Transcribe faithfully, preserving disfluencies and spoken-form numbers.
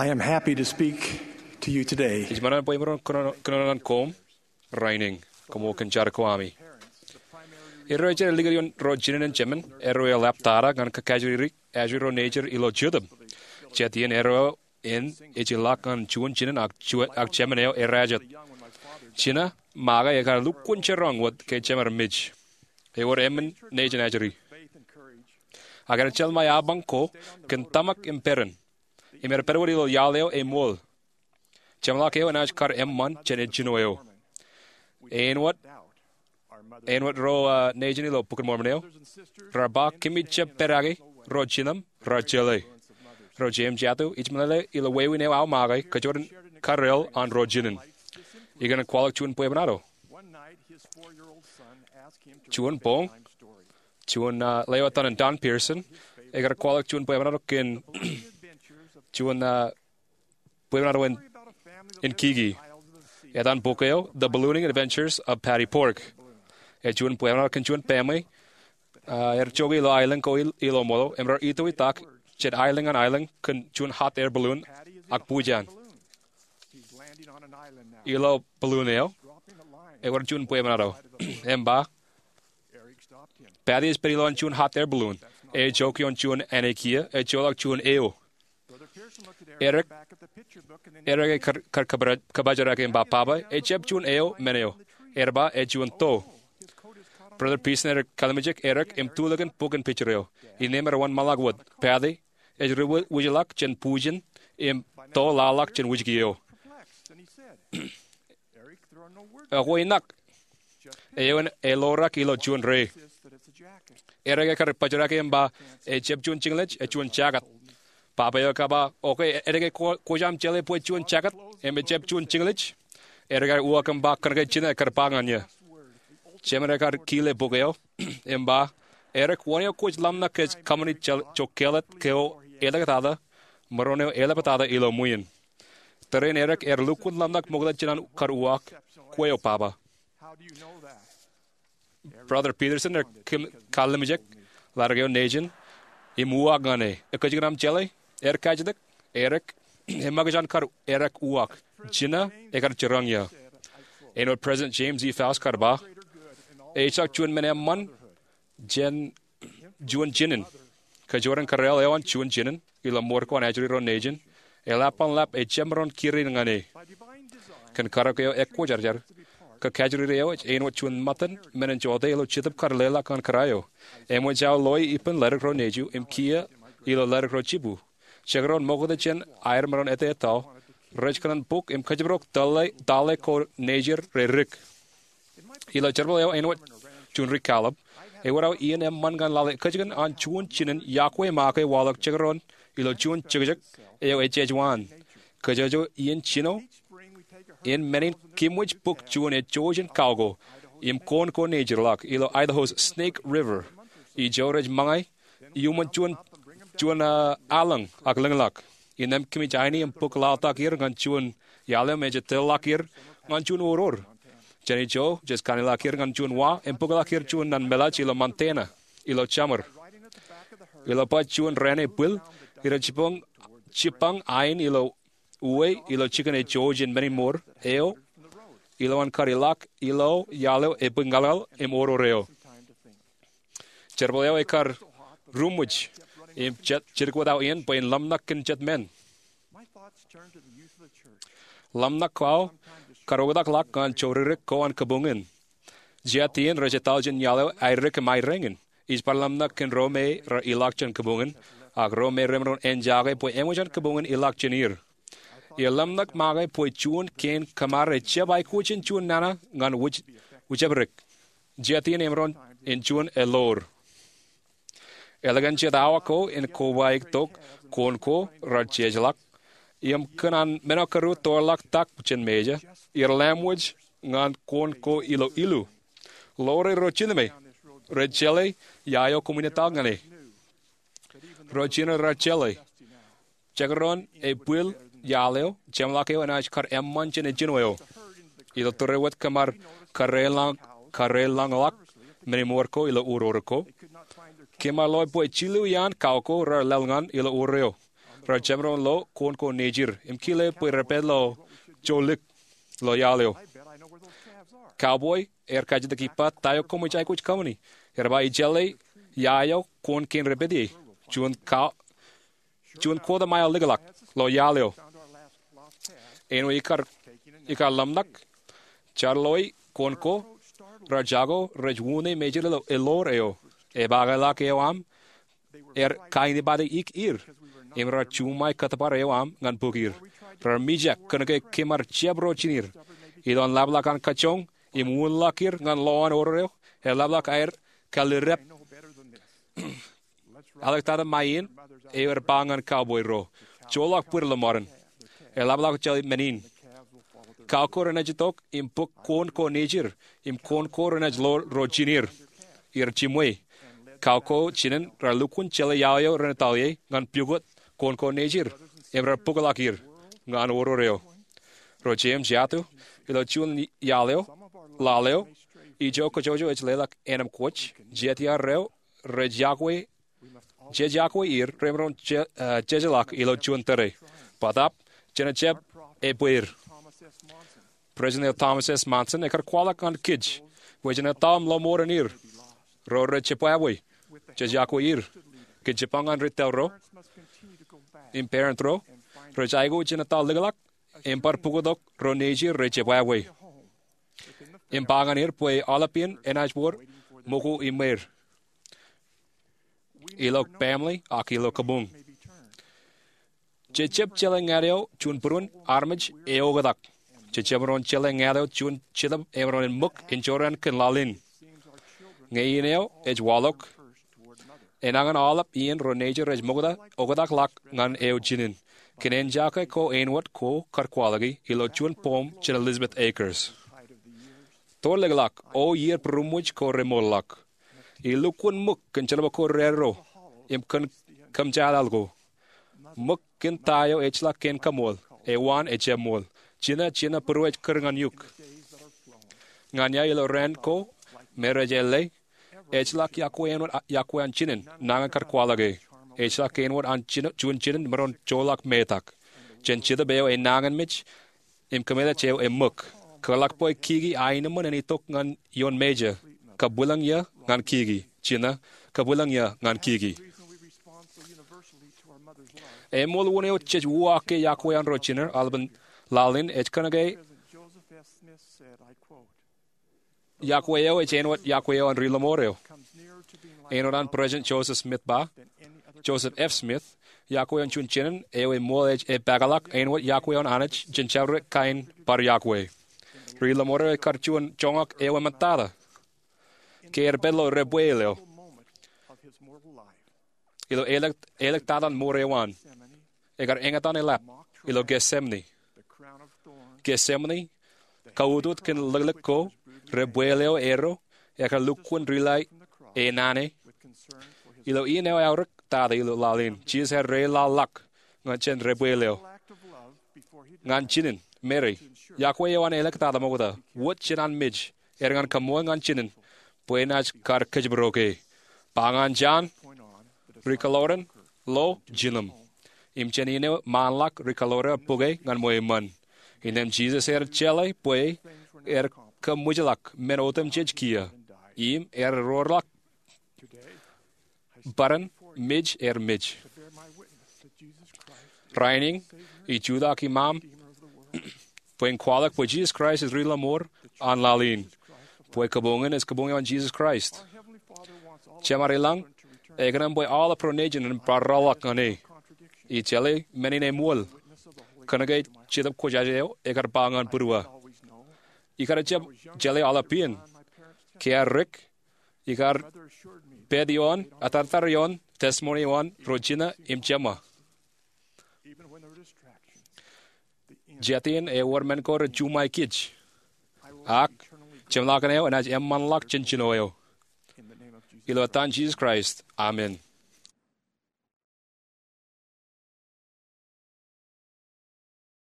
I am happy to speak to you today. Ij ṃōṇōṇō bwe imaroñ kōnono, kōnono ñan koṃ rainin. Koṃ kōn jar ko ami. Erro ejjeḷọk likūt ioon ro jinen in jemān, erro eḷap tata ñan kakajoor ri ajri ro nejid ilo Jetōb. Jet iien erro en ej ilọk ñan juon jinen ak juon, ak jemān eo errā jet. Jinen make ekar lukkuun jiroñ wōt ke jemed mej. Ewōr emān nejin ajri. Ak enaaj jeḷā ṃae apañ ko kōn tōmak im peran. Im er pād wōt ilo iaḷ eo eṃool. Jeṃḷọk eo enaaj kar eṃṃan jān ejjino eo. Āinwōt, āinwōt ro, uh, nejin ilo Bok in Mormon eo raar ba, kōmij jab pedake ro jinen raar jeḷā. Ro jeiū im jatū, ij meḷeḷe ilo wāween eo aō make kōjwōd in karreel an ro jinen. Ikōṇaan kwaḷọk juon bwebwenato. Juon boñ, juon, uh, lewōj etan in Don Pearson, ekar kwaḷọk juon bwebwenato kōn juon, uh, bwebwenato in, in kiki. Etan bok eo, The Ballooning Adventures of Paddy Pork. Ej juon bwebwenato kōn juon baaṃle, uh, er jokwe ilo aelōñ ko il-, ilo ṃōḷo, im raar itoitak jān aelōñ ñan aelōñ kōn juon hot air balloon ak bujen. Ilo balloon eo, ewōr juon bwebwenato im ba, Paddy ej pād ilowaan juon hot air balloon. Ej jokwe ioon juon āne kiiō, ejjeḷọk juon eo. Erik, Erik ekar, kar kōpaj-, kōpajorake im ba, Papa, ejjab juon eo men eo. Ear ba, ej juon to. Brother Pearson ear kallimjek Erik im tulikin bok in picture eo. Innām ear wōnṃaanḷọk wōt, Paddy ej ri-, wijḷọk jān bujen im to laḷḷọk jān wijki eo. Ekwe inak. Eoon eḷoorọk ilo juon re. Erik ekar pajorake im ba, ejjab juon jiñlej, ej juon jacket. Papa eo ekar ba, okay, edik, kwōj aṃ jeḷā bwe juon jacket im ejjab juon jiñlej? Erik ear uwaak im ba, kōnke jinen ekar ba ñan eō. Jemān ekar kile bok eo im ba, Erik, wōn eo kwōj ḷōmṇak kōj kōṃṃani jokālet ko eḷaptata, maroñ eo eḷaptata ilo ṃwiin? Tōre in Erik ear lukkuun ḷōmṇak ṃokta jān an kar uwaak, kwe eo, Papa. Brother Peterson ear kallimjek ḷaddik eo nejin im uwaak ñan e, ekōjkan aṃ jeḷā? Ear kajjitōk, Erik, eṃṃakūt an kar Erik uwaak, jinen ekar jiroñ eō. Āinwōt President James E. Faust kar ba, ejjeḷọk juon men eṃṃan jān juon jinen. Kōjwōd in karreel eo an juon jinen ilo ṃōd ko an ajri ro nejin, eḷap an lap ejjab maroñ kūr in ñan e. Kōn karōk eo ekwōjarjar, kōkajriri eo ej āinwōt juon ṃōttan men in jote ilo Jetōb kar leḷọk ñan kōrā eo. Eṃōj aō loe ippān ledik ro nejū im kiiō ilo ledik ro jibū. Jekdọọn ṃokta jān aer maroñ ettā etal, rej kōṇaan bōk im kōjparok tale, tale ko nejid re dik. Ilo jerbal eo āinwōt juon ri-kallib, ewōr aō iien eṃṃan ñan lale ekōjkan an juon jinen yokwe make waḷọk jekdọọn ilo juon jekjek eo ejejwaan. Kōjwōj iien jino in men in kōmwōj bōk juon ejjojo in kao ko im koon ko nejidḷọk ilo Idaho's Snake River. Ijo rej ṃōñā iuṃwin juon, juon, ah, allōñ ak lōñḷọk. Innām kōmij aini im bōk laḷtak er ñan juon iaḷ eo me jej tōlḷọk er ñan juon oror. Jān ijo jej kanniḷọk er ñan juon wa im bōkḷọk er juon naan meḷaaj ilo Montana ilo jemād. Ilo baj juon raan ebwil, irej jibboñ, jibboñ ain ilo uwe ilo jikin ejjojo in men in ṃool eo ilowaan kar ilọk ilo iaḷ eo ebwe ñalñal im oror eo. Jerbal eo ekar ruṃwij im jet, jidik wōt aō iien bwe in ḷōmṇak kōn jet men. Ḷōmṇak ko aō kar oktak ḷọk ñan joridik ko an kabuñ in. Jet iien rej etal jān iaḷ eo aedik im aerāñin. Ij bar ḷōmṇak kōn ro me raar ilọk jān kabuñ in, ak ro me remaroñ en jake bwe eṃōj an kabuñ in ilọk jān er. Im ḷōmṇak make bwe juon kein kōṃṃan ejjab aikuj in juon nana ñan wōj, wōjepdik. Jet iien emaroñ in juon eḷoor. Ālikin jet awa ko in kobaik tok, koon ko raar jejeḷọk. Im kōn an men eo kōrā toorḷọk tak jān Mājā, er lemwōj ñan koon ko ilo ilu. Ḷoore ro jinōme, rej jeḷā ia eo koṃwin etal ñan e. Ro jinen raar jeḷā. Jekdọọn ebwil iaḷ eo, jeṃḷọk eo enaaj kar eṃṃan jān ejjino eo. Ilo tōre wōt kōm ar karreoḷọk, karreoḷọk men in ṃool ko ilo oror ko, kōm ar loe bwe jilu iaan kao ko raar laḷ ñan ilo oror eo. Rej jab maroñ lo koon ko nejir im kile bwe rej pād ilo joḷọk ilo iaḷ eo. Cowboy ear kajjitōk ippa ta eo koṃij aikuj kōṃṃani. Ear ba ij jeḷā ia eo koon kein rej pād ie, juon kota mael likḷọk ilo iaḷ eo. Āinwōt ikar ḷōmṇak, jar loi koon ko rej jako rej uññā mejād ilo eḷoor eo. Epaakḷọk eo aṃ ear kainipati ik er im rej juṃae kōttōpar eo aṃ ñan bōk er. Rej mijak kōnke kōm ar jab ro jiner. Ilo an ḷapḷọk an kajjoñ im uñḷọk er ñan lowaan oror eo, eḷapḷọk aer kallirdep. Āliktata ṃae iien eo ear ba ñan cowboy ro, joḷọk bōd ḷōṃarein. Eḷapḷọk jeḷā men in. Cow ko renaaj itok im bōk koon ko nejir im koon ko renaaj lo ro jiner. Iar jiṃwe. Cow ko jinen rej lukkuun jeḷā iaḷ eo ren etal ie ñan pukot koon ko nejir im rej bōkḷọk er ñan oror eo. Ro jeiū im jatū, ilo juon iaḷ eo, laḷ eo, ijo kōjwōjwō ej leḷọk ānōm kwōj, jetiar eo rej iakwe jej iakwe er remaroñ jejeḷọk ilo juon tōre. Bōtaab, jen jab ebweer. President Thomas S. Monson ekar kwaḷọk ñan kōj bwe jen etal im lọmọọren er. Ro rej jebwābwe, jej iakwe er. Kōn jipañ ñan ri tōl ro im parent ro, rej aikuj jen etal likḷọk im bar pukot ro nejir rej jebwābwe im ba ñan er bwe aolep iien enaaj wōr ṃōko iṃweer ilo family ak ilo kabuñ. Jej jab jeḷā ñan eo juon būruon armej eoktak. Jej jab maroñ jeḷā ñan eo juon jetōb emaroñ en ṃōk injorran kōn laḷ in. Ñe iien eo ej waḷọk, enañin aolep iien ro nejir rej ṃokta oktak ḷọk ñan eo jinen. Kōn āinjake ko āinwōt ko kar kwaḷọki ilo juon poem jān Elizabeth Akers. Tōrlikḷọk, O iiō būruṃwij ko remootḷọk, ilukkuun ṃōk kōn jerbal ko rerro im kōn kōmjatdal ko. Ṃōk kōn ta eo ejjeḷọk kein kaṃool, ewaan ejjab ṃool. Jino, jino būruōj kūr ñan eok. Ñan ia ilo raan ko me rej ālle, ejjeḷọk iọkwe āinwōt iọkwe an jinen nañin kar kwaḷọke. Ejjeḷọk āinwōt an juon jinen maroñ joḷọk metak jān jetōb eo enañinmej im kōmeḷeḷe eo eṃōk. Kōtḷọk bwe kiki aenōṃṃan en itok ñan ioon mejān, kabwilōñ ia ñan kiki. Jino, kabwilōñ ia ñan kiki. Eṃool wūn eo jej uwaak ke iọkwe an ro jiner aolepān laḷ in ej kōnke iọkwe eo ej āinwōt iọkwe eo an ri lọmọọr eo. Āinwōt an President Joseph Smith ba, Joseph F. Smith, iọkwe eo an juon jinen eo eṃool ej epaakḷọk āinwōt iọkwe eo an Anij jān jabdewōt kain bar iọkwe. Ri lọmọọr eo ekar juon joñak eo eṃōttata ke ear pād ilo debwāāl eo ilo āliktata an mour eo an. Ekar eñtaan eḷap ilo Getsemane. Getsemane, kautot kōn liklik ko, debwāāl eo erro, ekar lukkuun rila e naan e. Ilo iien eo eaorōk tata ilo laḷ in, Jisōs ear reilaḷḷọk ñan jān debwāāl eo ñan jinen, Meri, iọkwe eo an āliktata ṃokta, wōt jān an mej, er ñan kaṃṃool ñan jinen bwe enaaj kar kōjparok e. Ba ñan Jan, ri-kōḷoran, lo jilōm. Im jān iien eo ṃaanḷọk ri-kōḷoran bōke ñan ṃweo eṃṃan. Innām Jisōs ear jeḷā bwe ear kōṃwijḷọk men otemjej kiiō im ear roorḷọk bōran mej er mej. Rainin, ij jutak iṃaṃ bwe in kwaḷọk bwe Jisōs Kraist ej ri lọmọọr an laḷ in, bwe kabuñ in ej kabuñ eo an Jisōs Kraist. Jemād ilañ ekōṇaan bwe aolep ro nejin en bar rọọlḷọk ñan e. Ij jeḷā men in eṃool, kōnke Jetōb Kwōjarjar eo ekar ba ñan būruō, ikar jab jeḷā aolep iien, ke ear dik, ikar pād ioon, atartar ioon testimony eo an ro jino im jeṃa. Jatien ewōr men ko rej juṃae kōj, ak jeṃḷọkin eo enaaj eṃṃanḷọk jān jino eo. Ilo etan Jisōs Kraist, amen.